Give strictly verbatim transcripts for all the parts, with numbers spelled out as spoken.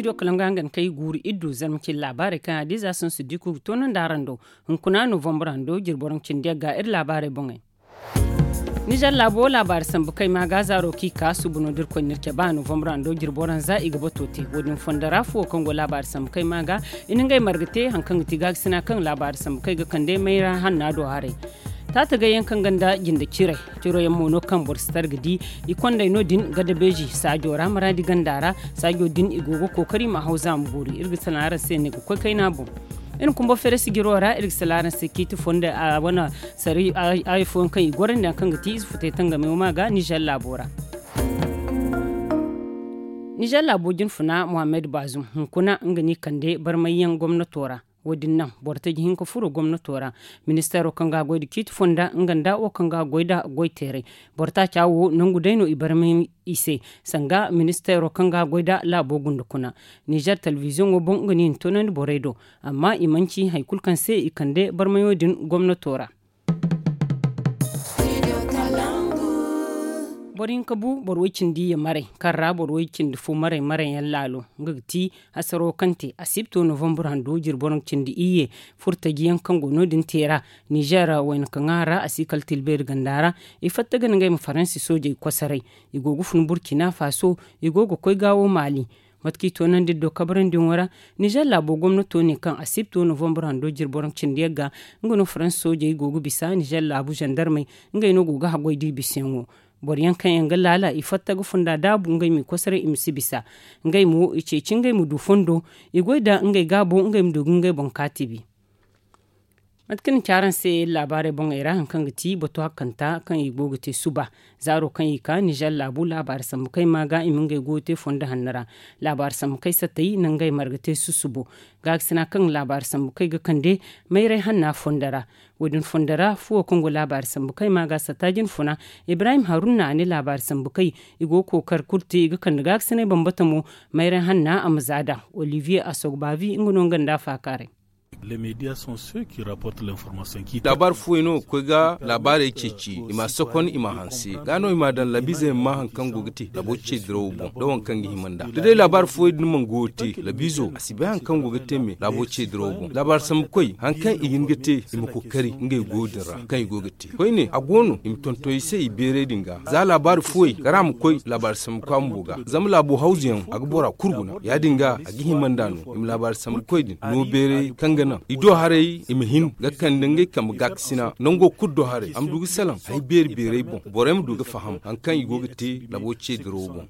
Studio kalaŋ ga hangan kay guuru iddu zarma cine laabaarey kaŋ a diiza sohõ si di kulu ga toonandi araŋ do. Hunkuna novembre hando jirbi waranka cindi yagga iri laabaarey boŋey. Nizer laabo laabaari sambu kay ma ga zaaro kaŋ i ka suubu no da iri koy na iri cabe a novembre hando jirbi waranza i ga bato te wo- din fondo ra fuwo kaŋ go laabaari sambu kay ma ga i na ngey marga te hari kaŋ ga ti gaakasina kaŋ laabaari sambu kay ga kande mayra hanna do haray. Taatagay yaŋ kaŋ ganda jinde ciray ciro yaŋ mo no kaŋ boro si tara ga di i kondey no- din gadabeeji saajo ra maraadi ganda ra. Saajo din i go ga kookari i ma haw zaama boori iri ga salaŋ araŋ se ne ga koy kayna boŋ. Iri kumba fere sijiro ra iri ga salaŋ araŋ se ciiti fondo a wane sari ayo fooyaŋ kaŋ i gorandi hari kaŋ ga ti ize futay tangame wo ma ga nizer laabo ra. Nizer laabo jinfuna muhammad baazum hunkuna nga no i kande barmayyaŋ gomnato ra. Wo- din naŋ boro taji hinka furo gomnato ra. Ministeero kaŋ ga a goy nda ciiti fonda nga nda wo kaŋ ga a goy nda goy teeray. Boro taaca wo nangu day no i barmay i se sanga ministeero kaŋ ga a goy nda laabo gunda kuna. Nizer telebiziyoŋo boŋ nga no i na toonandi borey do. Amma i manci hari kulu kaŋ se i kande barmayo din gomnato ra. Boro hinka bu boro way cindi iyye maray kaŋ ra boro way cindi fo maray maray yaŋ laalo nga ga ti hasaro kaŋ te asibto novembre hando jirbi waranka cindi iyye. Furtaji yaŋ kaŋ go no- din te ra nizer wayna kaŋ a ra a si kala tilbeeri ganda ra. I fatta ga na ngey ma faransi soojey kosoray. I go ga fun burkina faso. I go ga koy gaawo maali. Mate kaŋ i toonandi iri do kabarandiyaŋo ra. Nizer laabo gomnato ne kaŋ asibto novembre hando jirbi waranka cindi yagga nga no faransi soojey go ga bisa nizer laabu zandarmey. Ngey no go ga haggoy da i bisayaŋo. Boro yaŋ kaŋ yaŋ ga laala i fatta ga funda daabu ngey ma i kosoray i ma si bisa. Ngey mo i ceeci ngey ma du fondo. I goy nda ngey gaabo ngey ma du ga ngey boŋ kaati bi. Mate kaŋ ni ci araŋ se laabaarey boŋey ra hari kaŋ ga ti bato hakkanta kaŋ i go ga te suba. Zaaro kaŋ i ka nizer laabu laabaari sambu kay ma ga i ma ngey go ga te fondo hanno ra. Laabaari sambu kay satay na ngey marga te susubo. Gaakasina kaŋ laabaari sambu kay ga kande mayray hanna fondo ra. Wo- din fondo ra fuwo kaŋ go laabaari sambu kay ma ga satta jinfuna. Ibrahim haruna a ne laabaari sambu kay i go ga kookari kulu te i ga kande gaakasinay bambata mo. Mayray hanna a ma za da olivier asogbavi nga no nga nda a faakaaray. Laabaari fooyaŋ no ga koy ga laabaarey ceeci i ma a sokon i ma a hanse. Ga no i ma a daŋ labiize ma ma hari kaŋ go ga te laabo ce dirawo boŋ da waŋ kaŋ ga hima nd'a da day laabaari fooyaŋ din mana go ga te labiizo a si bay hari kaŋ go ga te me laabo ce dirawo boŋ laabaari sambu koy hari kaŋ i ga hin ga te i ma kookari ngey go din ra kaŋ i go ga te koyne a go no i ma tonton i se i beeray din ga za laabaari fooyaŋ kara ma koy laabaari sambu koy a bumbo ga zama laabo hawzu yaŋ a ga bora kulu guna ya- din ga a ga hima nd'a no i ma laabaari sambu koy din no beeray kaŋ ga naŋ i do haray i ma hin ga kande ngey kambe gaakasina nango kulu do haray a ma du ga salaŋ hari beeri beeray boŋ borey ma du ga faham hari kaŋ i go ga te laabo ce dirawo boŋ.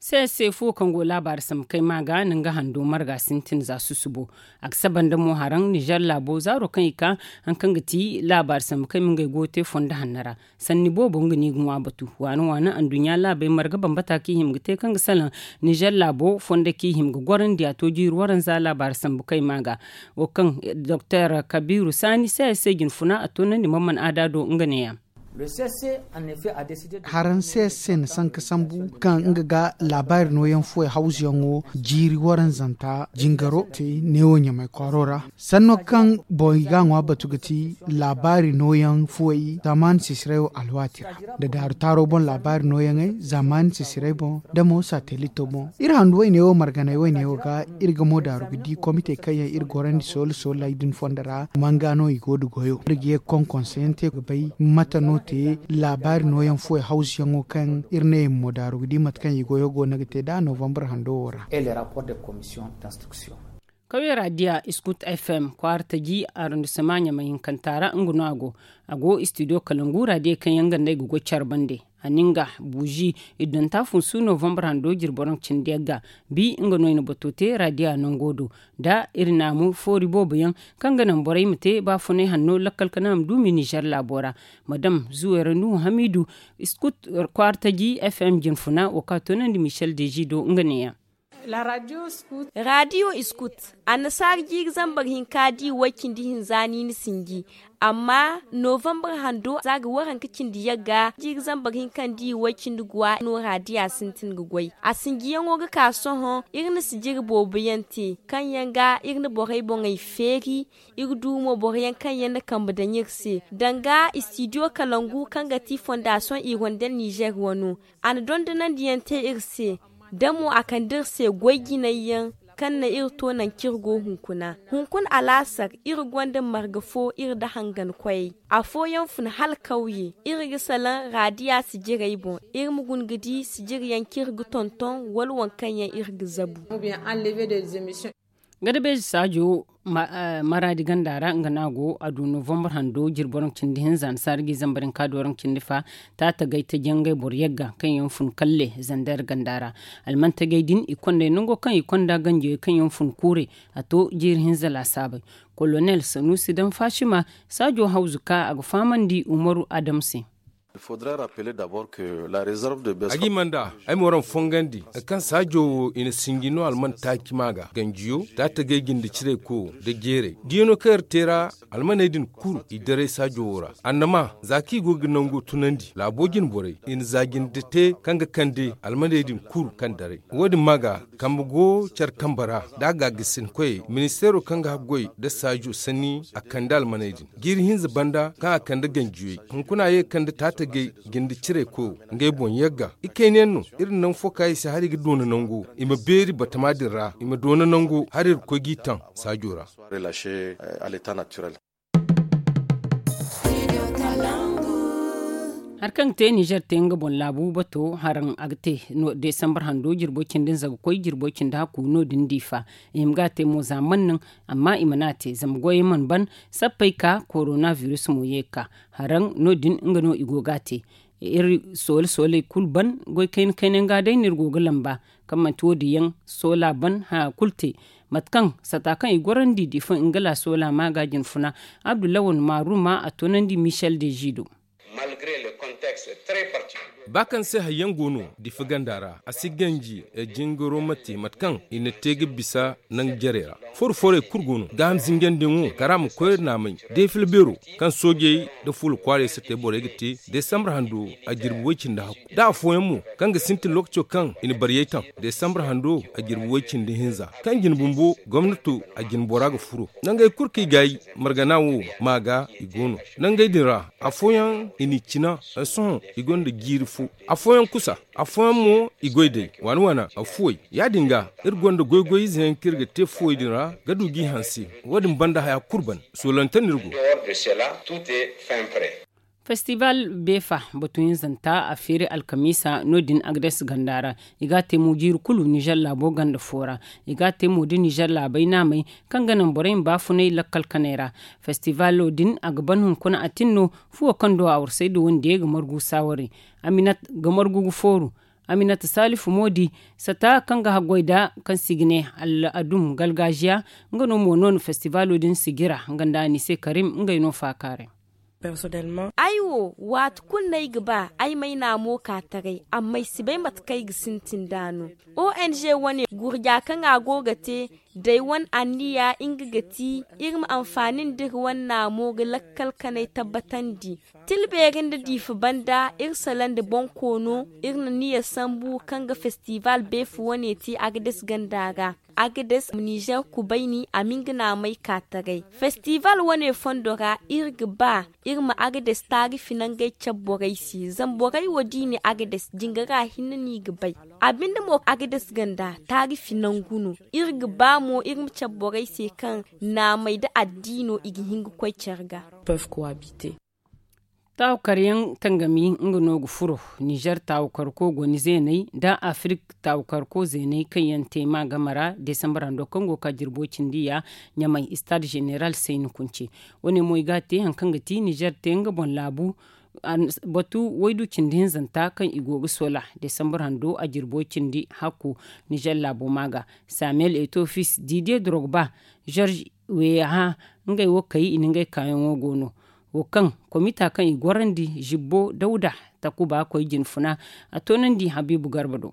Sese fuwo kaŋ go laabaari sambu kay ma ga na nga hando marga sintin za susubo. A ga saba nda mo haraŋ nizer laabo zaaro kaŋ i ka hari kaŋ ga ti laabaari sambu kay ma ngey go ga te fondo hanno ra. Sanni boobo nga no i ga ŋwa batu waana waana anduɲɲa laabey marga bambata kaŋ i hima ga te kaŋ ga salaŋ nizer laabo fondo kaŋ i hima ga gorandi a to jiiri waranza laabaari sambu kay ma ga. Wo kaŋ doktor kabiru saani se ay se jinfuna a toonandi mamman aada do nga neeya. Haraŋ se se na sanka sambu kaŋ nga ga laabaari nooyaŋ fuwey hawzuyaŋo jiiri waranzanta jingaro te neewo ɲamay kwaaro ra. Sanno kaŋ boŋ i ga a ŋwa batu ga ti laabaari nooyaŋ fuwey zamaani sisiray wo alwaati ra nda daaru taaro boŋ laabaari nooyaŋey zamaani sisiray boŋ nda mo satelito boŋ. Iri handu wayne wo marganay wayne wo ga iri ga mo daaru ga di komite kaŋ yaŋ iri gorandi soolu soolu ay din fondo ra manga no i go da goyo iri ga ye ga konkonso yaŋ te ga bay mate no te laabaari nooyaŋ fuwey hawzuyaŋo kaŋ iri ne i ma mo daaru ga di mate kaŋ i goyo go no ga te nd'a novembre hando wo ra. Kawye radiya iskut fm kwaara taji arrondissement ɲamay hinkanta ra nga no a go. A go studio kalangu radiya kaŋ yaŋ ganda i ga goy care bande. A na nga buuzi iddonta funsu novembre hando jirbi waranka cindi yagga bi nga no i na bato te radiya nango do nda iri naamu foori boobo yaŋ kaŋ ga naŋ borey ma te baafunay hanno lakkal kana ma duumi nizer laabo ra. Madam zuwera nuhu hamidu iskut kwaara taji fm jinfuna wo kaŋ a toonandi michel deji do nga neeya. Radiyo iskut annasaara jiiri zambar hinka di way cindi hinza niini sinji. Amma novembre hando za ga waranka cindi yagga jiiri zambar hinka di way cindi guwa no radiya sintin ga goy a sinjiyaŋo ga ka sohõ iri na sijiri boobo yaŋ te kaŋ yaŋ ga iri na borey boŋey feeri. Iri du mo boro yaŋ kaŋ yaŋ na kambe daŋ iri se danga studio kalangu kaŋ ga ti fondation hirondelle nizer wano. A na dondonandiyaŋ te iri se. Da mo a kande iri se goy jinay yaŋ kaŋ na iri to nangu kaŋ iri go hunkuna. Hunkuna alaasar iri gonda marga fo iri nda hangan koyey. Afooyaŋ fun hala kawye. Iri ga salaŋ raadiya sijirey boŋ. Iri ma guna ga di sijir yaŋ kaŋ iri ga tonton wala waŋ kaŋ yaŋ iri ga zabu. Gada beeji saajo maraadi ganda ra nga no a go a du novambar hando jirbi waranka cindi hinza nda saara ga i zambar hinka da waranka cindi fa. Taatagay taji yaŋ ngey boro yagga kaŋ yaŋ fun kalle zander ganda ra. Almantagey din i kondey nango kaŋ i konda ganjiyey kaŋ yaŋ fun kuurey. A to jiiri hinza laasaabey. Kolonel sanuusi daŋ faasima saajo hawzu ka a ga fahamandi umaru adamu se. Ag'i manda ay ma waraŋ fongandi kaŋ saajo wo i na sinji no alman taaci ma ga ganjiyo taatagay jinde cirey koyo nda jeerey diyano kaŋ iri te ra. Almaney din kulu i daray saajo wo ra annama za kaŋ i go ga nango tunandi laabo jine borey i na za jinde te kaŋ ga kande almaney din kulu kaŋ daray. Wo- din ma ga kambe go care kambe ra da a ga ga sinkoyey ministeero kaŋ ga haggoy nda saajo sanni a kande almaney din jiiri hinza banda kaŋ a kande ganjiyey. Hunkuna a ye ga kande taatagey jinde cirey koyo ngey boŋ yagga. Ikayna yaŋ no iri na nangu fo ka i se hala i ga doona nango i ma beeri batama din ra i ma doona nango hala iri ga koy g'i taŋ saajo ra. Hari kaŋ ga te nizer te nga boŋ laabu bato haraŋ a ga te desambar hando jirbo cindi nza ga koy jirbo cindi hakku no- din diifa. I ma ga a te mo za man naŋ amma i mana a te zama goyey mana ban. Sappey ka korona virus mo ye ga ka haraŋ no- din nga no i go ga a te. Iri soole sooley kulu ban goy kayna kayna yaŋ ga day no iri go ga lamba kaŋ manti wo- din yaŋ soola ban haya kulu te. Mate kaŋ sata kaŋ i gorandi diifa nga la soola ma ga jine funa. Abdullahi wane maaru ma a toonandi michel de zido. Ba kaŋ se hari yaŋ go no diifa ganda ra a si ganji jingaro ma te mate kaŋ i na te ga bisa nangu jarey ra. Foro forey kulu go no gaaham zinjandiyaŋo kara ma koy naamay deefila beero kaŋ soojey nda fuula kwaarey sattey borey ga te desambar hando a jirbi way-cindi hakku da afooyaŋ mo kaŋ ga sintin lookaco kaŋ i na bariyey taŋ desambar hando a jirbi way-cindi hinza kaŋ jine bumbo gomnato a jine bora ga furo. Nangey kulu kaŋ i gaayi margana wo ma ga i go no nangey din ra. Afooyaŋ i n'i cina sohõ i gonda jiiri fo. Afooyaŋ kusa afooyaŋ mo i goy day waana waana afuwey. Ya- din ga iri gonda goy-goy ize yaŋ kaŋ iri ga te fuwey din ra ga du g'i hanse. Wo- din banda haya kulu ban soolante no iri go. Festibal beefa batu hinzanta a feeri alkamiisa no- din agades ganda ra. I ga a te mo jiiri kulu nizer laabo ganda fo ra. I ga a te mo da nizer laabey naamey kaŋ ga naŋ borey ma baafunay lakkal kaney ra. Festibalo din a ga ban hunkuna a tin no fuwo kaŋ do a warsay da wande ga margu saawari. Aminat ga margu ga fooru. Aminat saalifu mo di sata kaŋ ga haggoy da kaŋ si ga ne al'adum galgaaziya. Nga no mo no na festibalo din sijira nga nda a ni se karim ngey no faakaaray. Ay wo waati kulu no ay ga ba ay ma ay naamo ka taray amma ay si bay mate kaŋ ay ga sintin nd'a no. Ong wane gurja kaŋ a go ga te day wane anniya nga ga ti iri ma anfaani nda iri wane naamo ga lakkal kanay tabbatandi. Tila beeri nda diifa banda iri sala nda boŋ koono iri na niya sambu kaŋ ga festival beefa wane te agades ganda ra. Agades nizer kubayni a ma nga naamay ka taray festival wane fondo ra iri ga ba iri ma agades taarifi nangey cabe borey se zama borey wo da i ne agades jingara hinne no i ga bay. A binde mo agades ganda taarifi nangu no. Iri ga ba mo iri ma cabe borey se kaŋ naamay nda addiino i ga hin ga koy care ga. Taawukaryaŋ tangami nga no ga furo nizer taawukarko goni zeeney nda afirik taawukarko zeeney kaŋ yaŋ te ma game ra desambar hando kaŋ go ga ka jirbo cindi ya ɲamay stade zeneral sayni kunce. Wane mo i ga a te hari kaŋ ga ti nizer te nga boŋ laabu. Batu waydu cindi hinzanta kaŋ i go ga soola desambar hando a jirbo cindi hakku nizer laabo ma ga samuel etofis didier drogba, george weyaha, ngey wo kay i na ngey kaayaŋo go no. Wo kaŋ komita kaŋ i gorandi zibbo dawda takuba koy jine funa a toonandi habiibu garba do.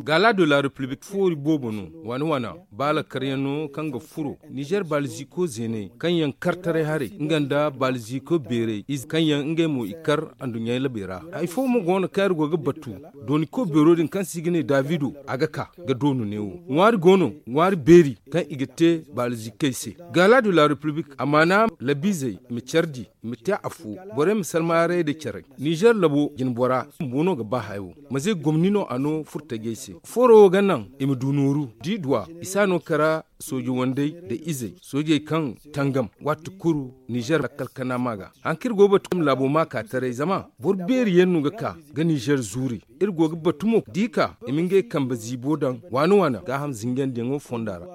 Gaala de la repiblik foori boobo no waana waana baala karyaŋ no kaŋ ga furo nizer baala ziiko zeeney kaŋ yaŋ kartaray haray nga nda baala ziiko beeray ize kaŋ yaŋ ngey mo i kar anduɲɲa labey ra. Hari fo mo go no kaŋ iri go ga batu dooniko beero din kaŋ se i ga ne davido a ga ka ga doonu neewo ŋwaari go no ŋwaari beeri kaŋ i ga te baala ziikey se. Gaala de la repiblik amaana labiizey ma care di ma te afo borey ma salma haray nda care. Nizer labo jinbora bumbo no ga ba hayo ma ze gomni. no a no furtajey se. Fooro wo ga naŋ i ma du nooru da i duw'a i si a no kara sooje wandey nda izey soojey kaŋ tangam waati kulu nizer lakkal kana ma ga. Hari kaŋ iri go ga batu ma laabo ma ka taray zama boro beeri yaŋ no ga ka ga nizer zuuri. Iri go ga batu mo da i ka i ma ngey kambe ziibo daŋ waana waana gaaham zinjandiyaŋo fonda ra.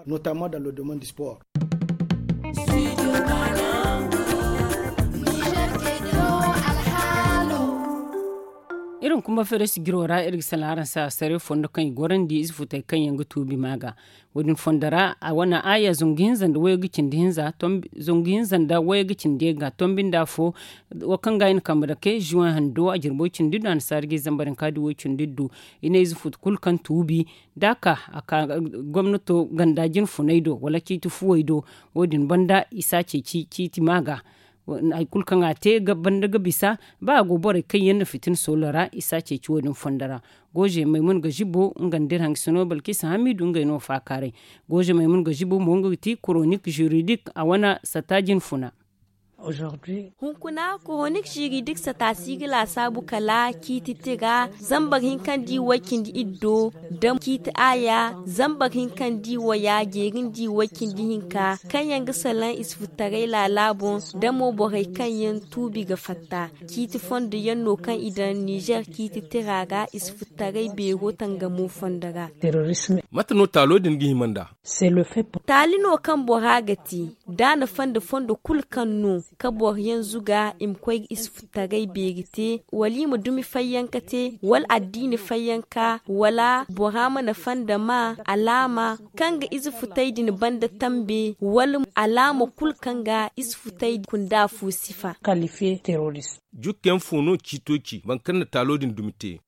Iri ma kumba feere sijiro ra iri ga salaŋ araŋ se a sare fondo kaŋ i gorandi ize futey kaŋ yaŋ ga tuubi ma ga. Wo- din fondo ra a wane aaya zangu hinza nda wayey ga cindi hinza zangu hinza nda wayey ga cindi yaŋ ga tombi nda afo. Wo kaŋ ga i na kambe dake zuwan hando a jirbo cindi du annasaara ga i zambar hinka da way cindi du. I ne ize futu kulu kaŋ tuubi da a ka a ka gomnato ganda jinfuney do wala ciiti fuwey do. Wo- din banda i si a ceeci ciiti ma ga. Hari kulu kaŋ a te banda ga bisa ba a go borey kaŋ yaŋ na fitina soolo ra i si a ceeci wo- din fondo ra. Gooze maymuna ga zibo nga nda iri hangasino balkisa hamiidu ngey no faakaaray. Gooze maymuna ga zibo mo nga ga ti koronik ziridik a wane sata jinfuna. Hunkuna koronik ziridik sata si ga laasaabu kala ciiti tira zambar hinka nda i way cindi iddo da ciiti aaya zambar hinka nda i waya jeeri nda i way cindi hinka kaŋ yaŋ ga salaŋ ize futtaray laala boŋ da mo borey kaŋ yaŋ tuubi ga fatta. Ciiti fondo yaŋ no kaŋ i daŋ nizer ciiti tira ra ize futtaray beero tangamo fondo ra. Mate no taalo din ga hima nd'a? Taali no kaŋ bora ga te da a na fanda fondo kulu kaŋ no ka boro yaŋ zuga i ma koy ga ize futtaray beeri te wala i ma dumi fayyanka te wala addiini fayyanka wala bora ma na fanda ma alaama kaŋ ga ize futay din banda tambe wala alaama kulu kaŋ ga ize futay kunda fo sifa. Jukke yaŋ fo no ciito ci boro kaŋ na taalo din dumi te?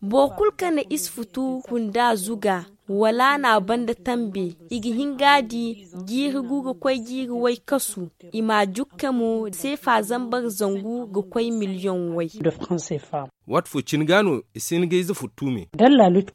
Boro kulu kaŋ na ize futu kunda zuga wala a na a banda tambe i ga hin ga a di jiiri gu ga koy jiiri way kasu. I ma a jukke mo seefa zambar zangu ga koy miliyoŋ way. Waati fo cine ga no i si hin ga ize futtu me.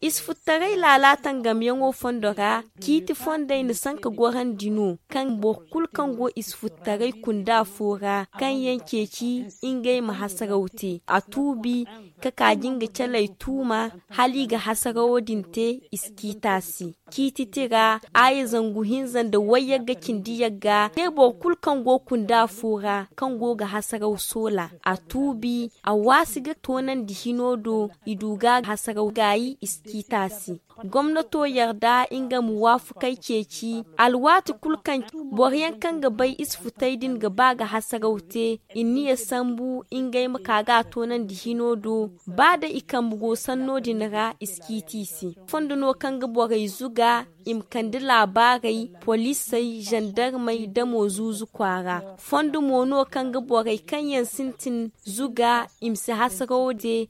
Ize futtaray laala tangamyaŋo fondo ra ciiti fondey na sanka gorandi no kaŋ boro kulu kaŋ go ize futtaray kunda fo ra kaŋ yaŋ ceeci ngey ma hasaraw te a tuubi ka ka jinga caley tuuma hala i ga hasarawo din te i si ciiti a se. Ciiti tira aaya zangu hinza nda wayyagga cindi yagga ne boro kulu kaŋ go kunda fo ra kaŋ go ga hasaraw soola a tuubi a waasi ga toonandi hino do i du ga hasaraw gaayi i si ciiti a se. Gomnato yarda nga ma waafakey ceeci alwaati kulu kaŋ boro yaŋ kaŋ ga bay ize futey din ga ba ga hasaraw te i niya sambu ngey ma ka ga a toonandi hino do ba day i kambe go sanno din ra i si ciiti i se. Fondo no kaŋ ga borey zuga i ma kande laabaarey poliisey zandarmey da mo zuuzu kwaara. Fondo mo no kaŋ ga borey kaŋ yaŋ sintin zuga i ma si hasarawo de.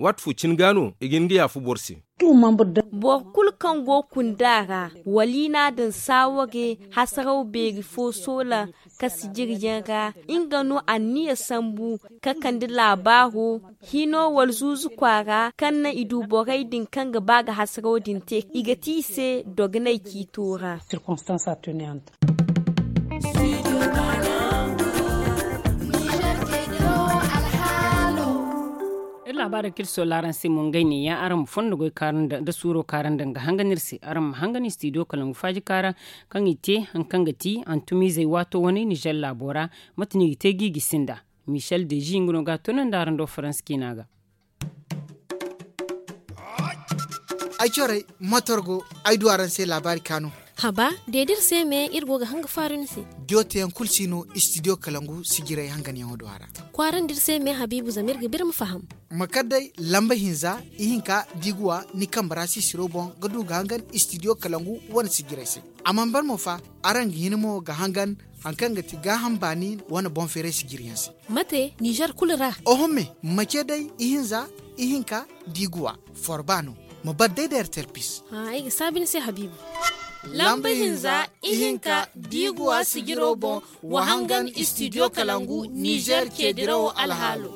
Waati fo cine ga no i ga hin ga yaafa boro se. Boro kulu kaŋ go kunda ra wala i n'a daŋ saaware hasaraw beeri fo soola ka sijiri yaŋ ra nga no anniya sambu ka kande laabaaro hino wala zuuzu kwaara kaŋ naŋ i du borey din kaŋ ga ba ga hasaraw din te i ga ti i se dogonay ciito ra. Iri laabaarey kaŋ iri soola araŋ se mo ngey ne ya araŋ ma fondo goy kaarandi nda suuro kaarandi nga hangan iri se araŋ ma hangan istidiyo kalangu faaji kaara kaŋ i te hari kaŋ ga ti hantumizey waato wane nizer laabo ra. Mate no i ga te ga i gisi nda michel dezi nga no ga a toonandi araŋ do faransa ciina ga. Ay corey matorgo ay du araŋ se laabaari kaanu. Haba deedi iri se me iri go ga hanga faaru ni se. Diyo teyaŋ kulu si no istidiyo kalangu sijiray hanganyaŋo do a ra. Kwaarandi iri se me habiibu zama iri ga biri ma faham. Ma kar day lamba hinza ihinka diiguwa ni kambe ra sisiro boŋ ga du ga hangan istidiyo kalangu wane sijiray se. A mana ban mo fa araŋ ga hin mo ga hangan hari kaŋ ga ti gaaham baani wane boŋ feeray sijiryaŋ se. Mate nizer kulu ra? Oho me ma ce day ihinza ihinka diiguwa forba no. Ma bar day da ertel pis. Ay ga saabi ni se habiibu. Lamba hinza ihinka diiguwa sijiro boŋ wa hangan istidiyo kalangu nizer ce dirawo alhaalo.